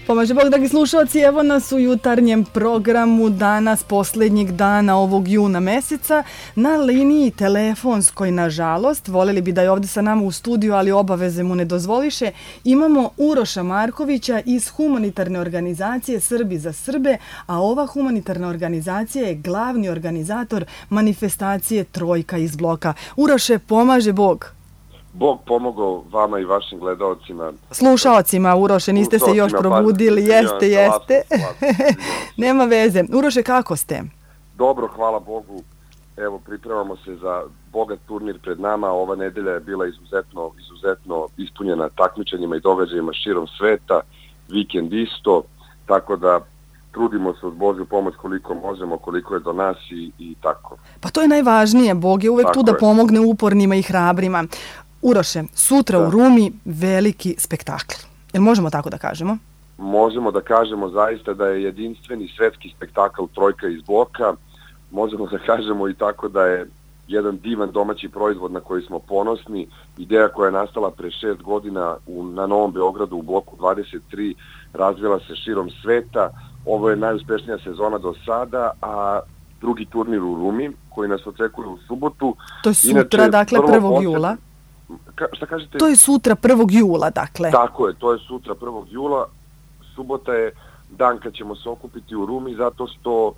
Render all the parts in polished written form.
Pomaže Bog, dragi slušalci, evo nas u jutarnjem programu danas, posljednjeg dana ovog juna meseca, na liniji telefonskoj, nažalost, voljeli bi da je ovdje sa nama u studiju, ali obaveze mu ne dozvoliše, imamo Uroša Markovića iz humanitarne organizacije Srbi za Srbe, a ova humanitarna organizacija je glavni organizator manifestacije Trojka iz bloka. Uroše, pomaže Bog. Bog pomogao vama i vašim gledalcima. Slušalcima, Uroše, niste se još probudili. Jeste. Nema veze. Uroše, kako ste? Dobro, hvala Bogu. Evo, pripremamo se za bogat turnir pred nama. Ova nedelja je bila izuzetno ispunjena takmičenjima i događajima širom sveta. Vikend isto, tako da trudimo se uz Božju pomoć koliko možemo, koliko je do nas i tako. Pa to je najvažnije. Bog je uvek tu da pomogne upornima i hrabrima. Uroše, sutra u Rumi veliki spektakl. Jel možemo tako da kažemo? Možemo da kažemo zaista da je jedinstveni svetski spektakl Trojka iz bloka. Možemo da kažemo i tako da je jedan divan domaći proizvod na koji smo ponosni. Ideja koja je nastala pre 6 godina na Novom Beogradu u bloku 23 razvila se širom sveta. Ovo je najuspešnija sezona do sada, a drugi turnir u Rumi koji nas očekuje u subotu. To je sutra, dakle 1. jula. Šta kažete? To je sutra 1. jula, dakle. Tako je, to je sutra 1. jula. Subota je dan kad ćemo se okupiti u Rumi, zato što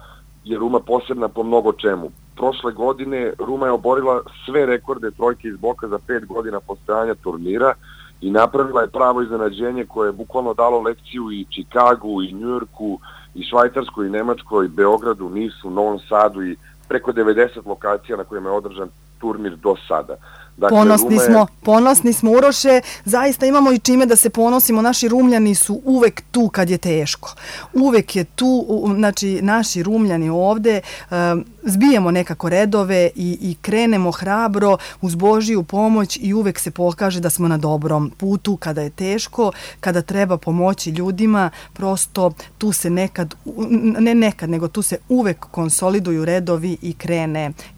je Ruma posebna po mnogo čemu. Prošle godine Ruma je oborila sve rekorde Trojke iz bloka za 5 godina postojanja turnira i napravila je pravo iznenađenje koje je bukvalno dalo lekciju i Čikagu, i Njujorku, i Švajcarskoj, i Nemačkoj, i Beogradu, Nisu, Novom Sadu i preko 90 lokacija na kojima je održan turnir do sada. Dakle, ponosni smo, Uroše, zaista imamo i čime da se ponosimo, naši Rumljani su uvek tu kad je teško. Uvek je tu, znači naši Rumljani ovde, zbijemo nekako redove i krenemo hrabro uz Božiju pomoć i uvek se pokaže da smo na dobrom putu kada je teško, kada treba pomoći ljudima, prosto tu se nego tu se uvek konsoliduju redovi i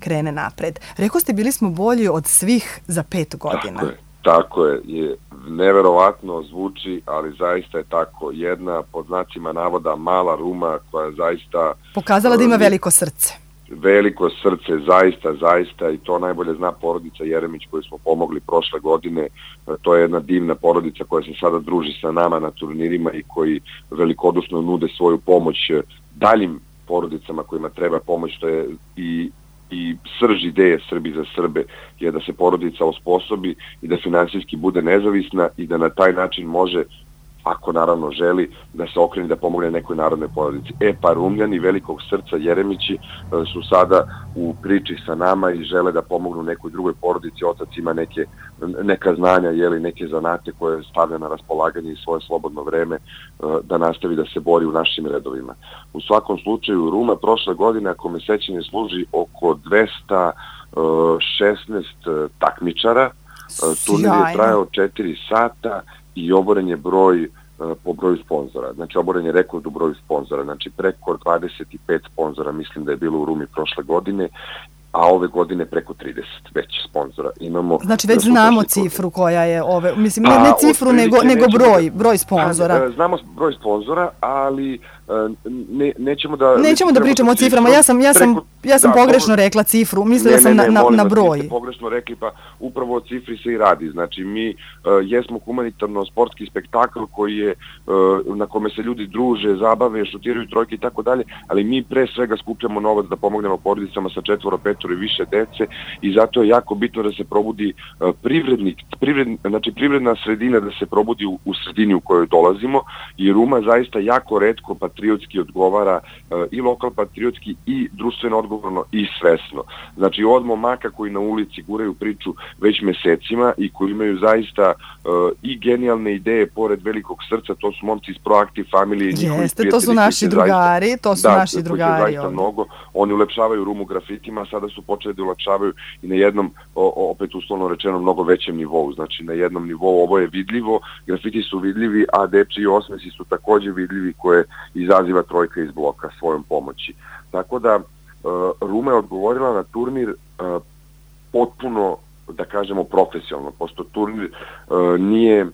krene napred. Rekao ste, bili smo bolji od svih za 5 godina. Tako je, neverovatno zvuči, ali zaista je tako. Jedna, pod znacima navoda, mala Ruma koja zaista pokazala da ima veliko srce. Veliko srce, zaista, i to najbolje zna porodica Jeremić koju smo pomogli prošle godine. To je jedna divna porodica koja se sada druži sa nama na turnirima i koji velikodušno nude svoju pomoć daljim porodicama kojima treba pomoć, što je i srž ideje Srbi za Srbe je da se porodica osposobi i da finansijski bude nezavisna i da na taj način može, ako naravno želi, da se okrene da pomogne nekoj narodnoj porodici. Pa Rumljani velikog srca Jeremići su sada u priči sa nama i žele da pomognu nekoj drugoj porodici. Otac ima neka znanja, neke zanate koje stavlja na raspolaganje i svoje slobodno vreme da nastavi da se bori u našim redovima. U svakom slučaju Ruma prošle godine, ako me sećanje služi, oko 216 takmičara. Turnir je trajao 4 sata i oboren je broj po broju sponzora. Znači, oboren je rekord u broju sponzora. Znači, preko 25 sponzora mislim da je bilo u Rumi prošle godine, a ove godine preko 30 već sponzora imamo. Znači, već znamo cifru koja je mislim, ne cifru, nego broj sponzora. Znamo broj sponzora, ali nećemo da pričamo o ciframa. Ja sam pogrešno rekla cifru, mislila sam na broj. Ne, pogrešno rekli, pa upravo o cifri se i radi. Znači, mi jesmo humanitarno-sportski spektakl koji je, na kome se ljudi druže, zabave, šutiraju trojke i tako dalje, ali mi pre svega skupljamo novac da pomognemo porodicama sa 4, 5 i više dece i zato je jako bitno da se probudi privredna sredina, da se probudi u sredini u kojoj dolazimo i Ruma zaista jako retko patriotski odgovara i lokal patriotski i društveno odgovorno i svesno. Znači od momaka koji na ulici guraju priču već mesecima i koji imaju zaista i genijalne ideje pored velikog srca, to su momci iz Proactive Family i njihovi prijatelji. To su naši drugari, zaista mnogo. Oni ulepšavaju Rumu grafitima, sada su počeli da ulepšavaju i na jednom, opet uslovno rečeno, mnogo većem nivou. Znači na jednom nivou ovo je vidljivo, grafiti su vidljivi, a dečiji osmesi su također vidljivi koje izaziva Trojka iz bloka svojom pomoći. Tako da Ruma je odgovorila na turnir potpuno, da kažemo, profesionalno, pošto turnir nije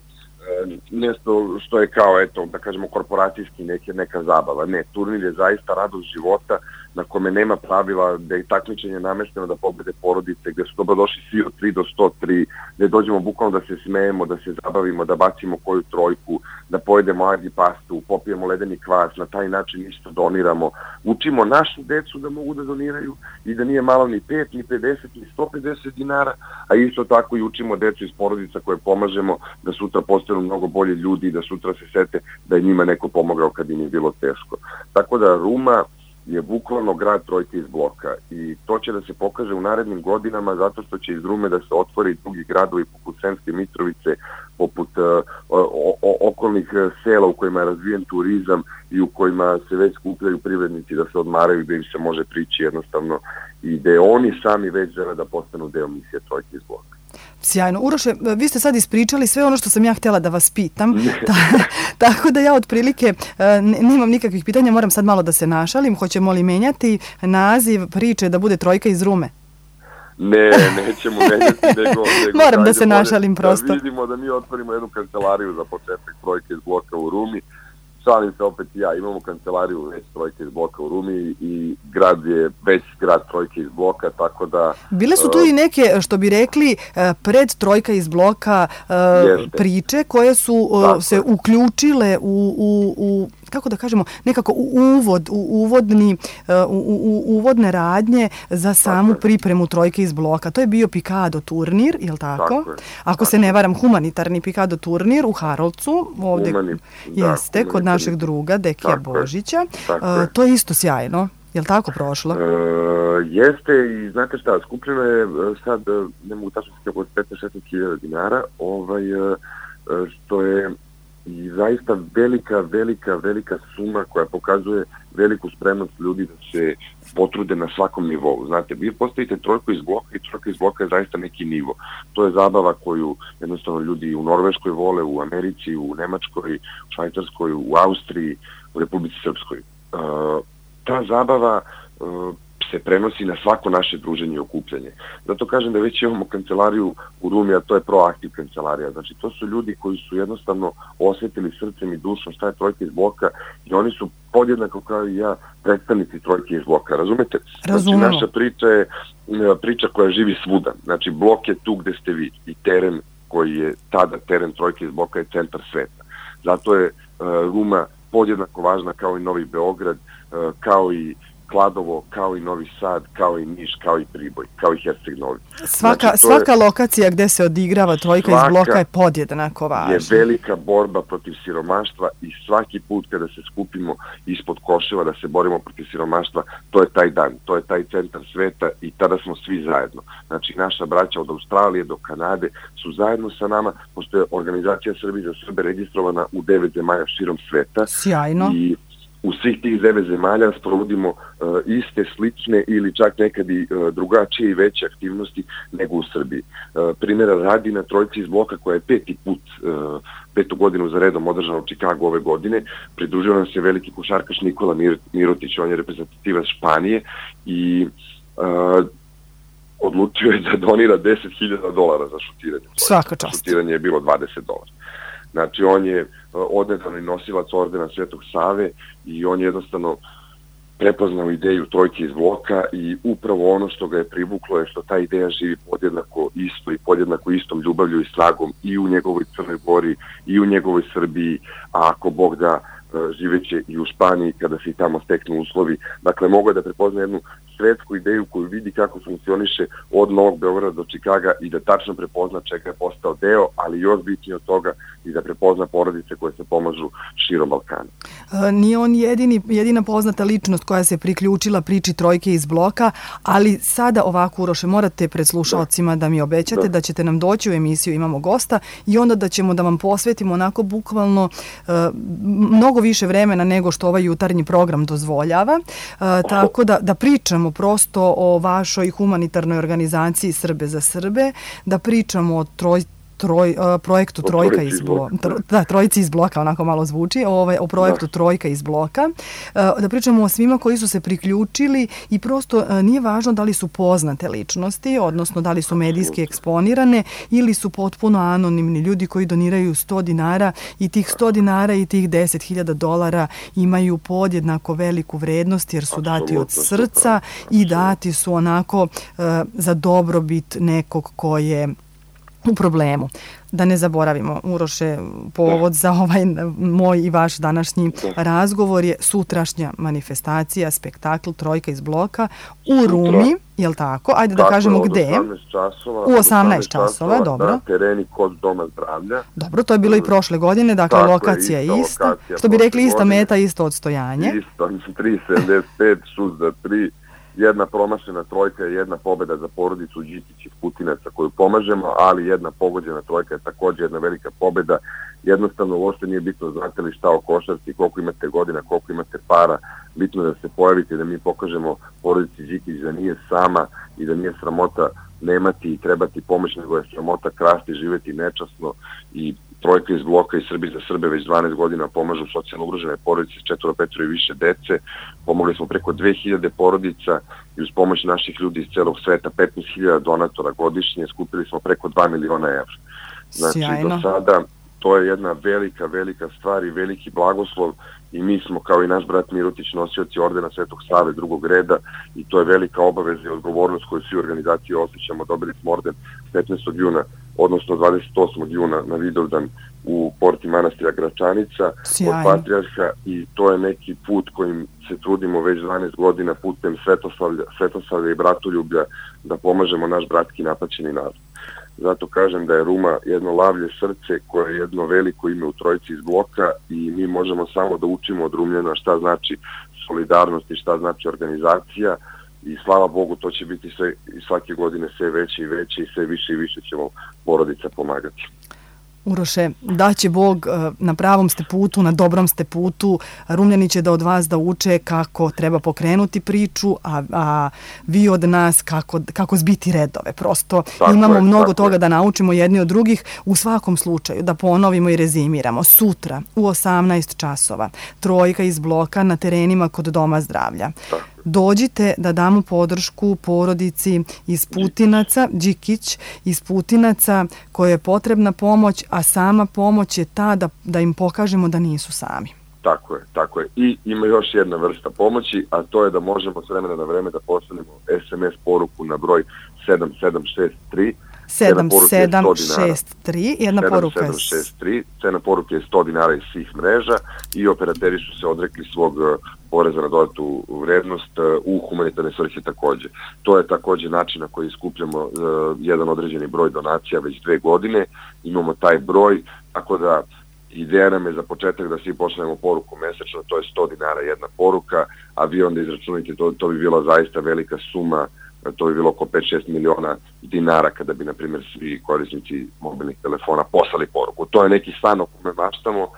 nešto što je kao, eto, da kažemo, korporacijski neka zabava. Ne, turnir je zaista radost života na kome nema pravila, da je takmičenje namešteno da pobede porodice, gde su dobrodošli svi od 3 do 103, gde dođemo bukvalno da se smejemo, da se zabavimo, da bacimo koju trojku, da pojedemo argi pastu, popijemo ledeni kvas, na taj način isto doniramo. Učimo našu decu da mogu da doniraju i da nije malo ni 5, ni 50, ni 150 dinara, a isto tako i učimo decu iz porodica koje pomažemo da sutra postanu mnogo bolji ljudi i da sutra se sete da je njima neko pomogao kad im je bilo teško. Tako da Ruma je bukvalno grad trojke iz bloka i to će da se pokaže u narednim godinama zato što će iz Rume da se otvori drugi gradovi poput Sremske Mitrovice, poput okolnih sela u kojima je razvijen turizam i u kojima se već skupljaju privrednici da se odmaraju, da im se može prići jednostavno i da oni sami već žele da postanu deo misije trojke iz bloka. Sjajno. Uroše, vi ste sad ispričali sve ono što sam ja htjela da vas pitam, tako da ja otprilike nemam nikakvih pitanja, moram sad malo da se našalim. Hoćemo li menjati naziv priče da bude trojka iz Rume? Ne, nećemo menjati, nego moram da se našalim prosto. Da vidimo da mi otvorimo jednu kancelariju za početak trojke iz bloka u Rumi. Šalim se opet ja, imamo kancelariju već trojke iz bloka u Rumi i grad je već grad trojke iz bloka, tako da... Bile su tu i neke, što bi rekli, pred trojka iz bloka priče koje su se uključile u kako da kažemo, nekako uvodne radnje za samu pripremu trojke iz bloka. To je bio Pikado turnir, je li tako? Ako se ne varam, humanitarni Pikado turnir u Harolcu, ovdje jeste, kod našeg druga, Dekija Božića. To je isto sjajno. Je li tako prošlo? Jeste i znate šta, skupljeno je sad, ne mogu tačno se oko 15-16 dinara, što je i zaista velika suma koja pokazuje veliku spremnost ljudi da se potrude na svakom nivou. Znate, vi postavite trojku iz bloka i trojka iz bloka je zaista neki nivo. To je zabava koju jednostavno ljudi u Norveškoj vole, u Americi, u Nemačkoj, u Švajcarskoj, u Austriji, u Republici Srpskoj. Ta zabava se prenosi na svako naše druženje i okupljanje. Zato kažem da već imamo kancelariju u Rumi, a to je proaktiv kancelarija. Znači, to su ljudi koji su jednostavno osjetili srcem i dušom šta je trojka iz bloka i oni su podjednako kao i ja predstavnici trojke iz bloka. Razumete? Razumemo. Znači, naša priča je priča koja živi svuda. Znači, blok je tu gde ste vi i teren koji je tada teren trojke iz bloka je centar sveta. Zato je Ruma podjednako važna kao i Novi Beograd, kao i Kladovo, kao i Novi Sad, kao i Niš, kao i Priboj, kao i Herceg Novi. Svaka lokacija gdje se odigrava trojka iz bloka je podjednako važna. Je velika borba protiv siromaštva i svaki put kada se skupimo ispod koševa da se borimo protiv siromaštva, to je taj dan, to je taj centar sveta i tada smo svi zajedno. Znači, naša braća od Australije do Kanade su zajedno sa nama, pošto je organizacija Srbije za Srbe registrovana u 9 zemalja širom sveta. Sjajno. I u svih tih 9 zemalja sprovodimo iste, slične ili čak nekad i drugačije i veće aktivnosti nego u Srbiji. Primjera radi na trojci iz bloka koja je petu godinu za redom održana u Čikagu ove godine. Pridružio nam se veliki košarkaš Nikola Mirotić, on je reprezentativac Španije i odlučio je da donira $10.000 za šutiranje. Svaka čast. Šutiranje je bilo $20. Znači, on je odnedavno nosilac ordena Svetog Save i on je jednostavno prepoznao ideju trojke iz bloka i upravo ono što ga je privuklo je što ta ideja živi podjednako isto i podjednako istom ljubavlju i snagom i u njegovoj Crnoj Gori i u njegovoj Srbiji, a ako Bog da živeće i u Španiji kada se i tamo steknu uslovi. Dakle, mogu da prepozna jednu svetsku ideju koju vidi kako funkcioniše od Novog Beograda do Čikaga i da tačno prepozna čega je postao deo, ali još bitnije od toga i da prepozna porodice koje se pomažu širom Balkana. Nije on jedina poznata ličnost koja se priključila priči trojke iz bloka, ali sada ovako, Uroše, morate pred slušalcima da mi obećate da ćete nam doći u emisiju Imamo gosta i onda da ćemo da vam posvetimo onako bukvalno mnogo više vremena nego što ovaj jutarnji program dozvoljava, tako da pričamo prosto o vašoj humanitarnoj organizaciji Srbe za Srbe, da pričamo o projektu Trojka iz bloka. Da, Trojici iz bloka, onako malo zvuči, o projektu Trojka iz bloka. Da pričamo o svima koji su se priključili i prosto nije važno da li su poznate ličnosti, odnosno da li su medijski eksponirane ili su potpuno anonimni ljudi koji doniraju $100 i tih $100 i tih $10.000 imaju podjednako veliku vrednost jer su dati od srca i dati su onako za dobrobit nekog ko je u problemu. Da ne zaboravimo, Uroše, povod za ovaj moj i vaš današnji razgovor je sutrašnja manifestacija, spektakl Trojka iz bloka u Rumi, je li tako? Ajde da kažemo gde. U 18 časova, dobro. Na tereni kod Doma zdravlja. Dobro, to je bilo i prošle godine, dakle lokacija je ista. Što bi rekli, ista meta, isto odstojanje. Isto, 3,75, šut za 3. Jedna promašena trojka je jedna pobeda za porodicu Đikić iz Putinaca koju pomažemo, ali jedna pogođena trojka je također jedna velika pobeda. Jednostavno uopšte nije bitno znate li šta o košarci, koliko imate godina, koliko imate para, bitno da se pojavite, da mi pokažemo porodici Đikić da nije sama i da nije sramota nemati i trebati pomoć, nego je sramota krasti, živeti nečasno i Trojka iz bloka i Srbi za Srbe već 12 godina pomažu socijalno ugrožene porodice s 4, 5 i više dece. Pomogli smo preko 2000 porodica i uz pomoć naših ljudi iz celog sveta 15.000 donatora godišnje skupili smo preko 2 miliona evra. Znači do sada to je jedna velika stvar i veliki blagoslov i mi smo kao i naš brat Mirotić nosioci ordena Svetog Save drugog reda i to je velika obaveza i odgovornost koju svi organizacije osjećamo. Dobili smo orden 15. juna, odnosno 28. juna na Vidovdan u porti manastira Gračanica od Patrijarha i to je neki put kojim se trudimo već 12 godina putem svetoslavlja i bratoljublja da pomažemo naš bratski napaćeni narod. Zato kažem da je Ruma jedno lavlje srce koje je jedno veliko ime u Trojici iz bloka i mi možemo samo da učimo od Rumljana šta znači solidarnost i šta znači organizacija i slava Bogu to će biti sve i svake godine sve veće i veće i sve više i više ćemo porodica pomagati. Uroše, da će Bog, na pravom ste putu, na dobrom ste putu, Rumljani će da od vas da uče kako treba pokrenuti priču, a vi od nas kako zbiti redove. Prosto imamo mnogo toga da naučimo jedni od drugih. U svakom slučaju, da ponovimo i rezimiramo. Sutra u 18 časova Trojka iz bloka na terenima kod Doma zdravlja. Dođite da damo podršku porodici iz Putinaca, Đikić iz Putinaca, kojoj je potrebna pomoć, a sama pomoć je ta da im pokažemo da nisu sami. Tako je. I ima još jedna vrsta pomoći, a to je da možemo s vremena na vreme da pošaljemo SMS poruku na broj 7763. 7763, jedna poruka je 7763, cena poruke je $100 iz svih mreža i operateri su se odrekli svog poreza na dodatu vrednost u humanitarne svrhe također. To je također način na koji skupljamo jedan određeni broj donacija već 2 godine, imamo taj broj, tako da ideja nam je za početak da svi pošaljemo poruku mesečno, to je $100 jedna poruka, a vi onda izračunajte, to bi bila zaista velika suma, to bi bilo oko 5-6 miliona dinara kada bi, na primjer, svi korisnici mobilnih telefona poslali poruku. To je neki san o kome maštamo,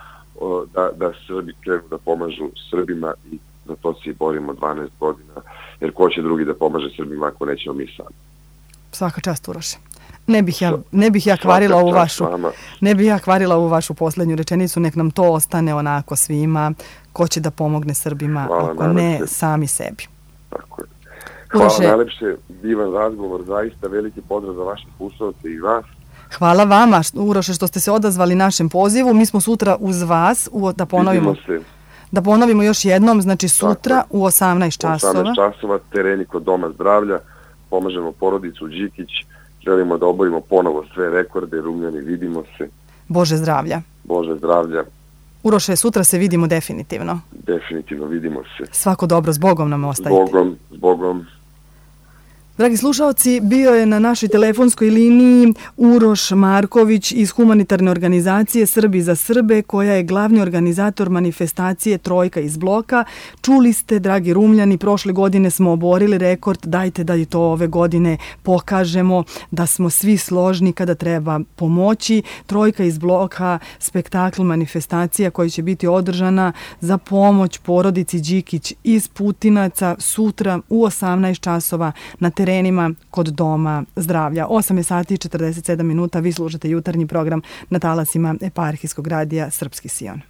da Srbi krenu da pomažu Srbima i za to se i borimo 12 godina, jer ko će drugi da pomaže Srbima ako nećemo mi sami. Svaka čast, Uroše. Ne bih ja kvarila ovu vašu posljednju rečenicu, nek nam to ostane onako svima, ko će da pomogne Srbima, ako ne sami sebi. Tako je. Hvala najlepše, divan razgovor, zaista veliki pozdrav za vaše slušalce i vas. Hvala vama, Uroše, što ste se odazvali našem pozivu. Mi smo sutra uz vas, da ponovimo još jednom, znači sutra u 18 časova. 18 časova, tereni kod Doma zdravlja, pomažemo porodicu Đikić, želimo da obavimo ponovo sve rekorde, Rumljani, vidimo se. Bože zdravlja. Bože zdravlja. Uroše, sutra se vidimo definitivno. Definitivno vidimo se. Svako dobro, s Bogom nam ostajte. S Bogom. Dragi slušalci, bio je na našoj telefonskoj liniji Uroš Marković iz humanitarne organizacije Srbi za Srbe, koja je glavni organizator manifestacije Trojka iz bloka. Čuli ste, dragi Rumljani, prošle godine smo oborili rekord, dajte da i to ove godine pokažemo, da smo svi složni kada treba pomoći. Trojka iz bloka, spektakl, manifestacija koja će biti održana za pomoć porodici Đikić iz Putinaca sutra u 18 časova na terenu terenima kod Doma zdravlja. 8 sati i 47 minuta, vi slušate jutarnji program na talasima Eparhijskog radija Srpski Sion.